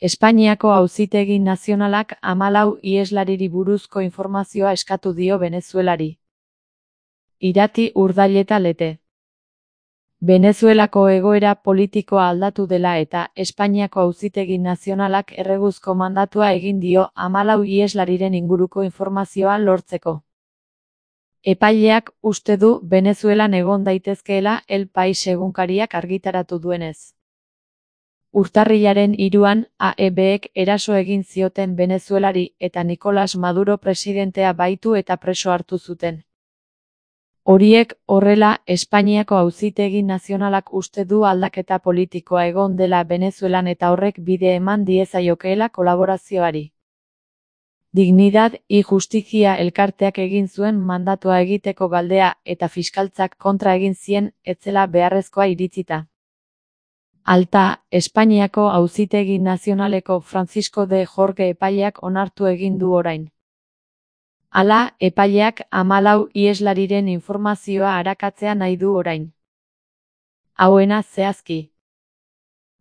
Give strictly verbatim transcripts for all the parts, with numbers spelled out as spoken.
Espainiako Auzitegi Nazionalak hamalau iheslariri buruzko informazioa eskatu dio Venezuelari. Irati Urdaileta Lete. Venezuelako egoera politikoa aldatu dela eta Espainiako Auzitegi Nazionalak erreguzko mandatua egin dio hamalau iheslariren inguruko informazioa lortzeko. Epaileak uste du Venezuelan egon daitezkeela El País egunkariak argitaratu duenez. Urtarrilaren hiruan A E Bek eraso egin zioten Venezuelari eta Nicolás Maduro presidentea baitu eta preso hartu zuten. Horiek horrela, Espainiako Auzitegi Nazionalak uste du aldaketa politikoa egon dela Venezuelan eta horrek bide eman diezaiokeela kolaborazioari. Dignidad y Justicia elkarteak egin zuen mandatua egiteko galdea eta fiskaltzak kontra egin zien etzela beharrezkoa iritzita. Alta, Espainiako Auzitegi Nazionaleko Francisco de Jorge epaileak onartu egin du orain. Hala, epaileak hamalau iheslariren informazioa arakatzea nahi du orain. Hauena zehazki.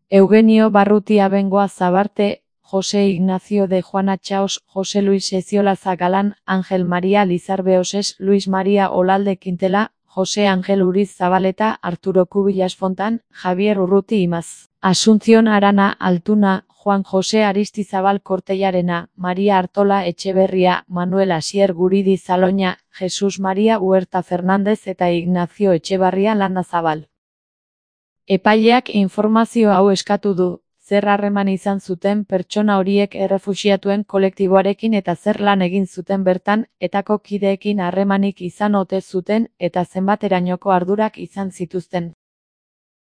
Eugenio Barrutia Bengoa Zabarte, José Ignacio de Juana Chaos, José Luis Eziolaza Galán, Ángel María Lizarbe Oses, Luis María Olalde Quintela, José Ángel Uriz Zabaleta, Arturo Cubillas Fontán, Javier Urruti Imaz, Asunción Arana Altuna, Juan José Aristizabal Cortellarena, María Artola Etxeberria, Manuel Asier Guridi Zaloña, Jesús María Huerta Fernández eta Ignacio Etxebarria Landazabal. Epaileak informazio hau eskatu du, zer harreman izan zuten pertsona horiek errefuxiatuen kolektiboarekin eta zer lan egin zuten bertan, etako kideekin harremanik izan ote zuten eta zenbaterainoko ardurak izan zituzten.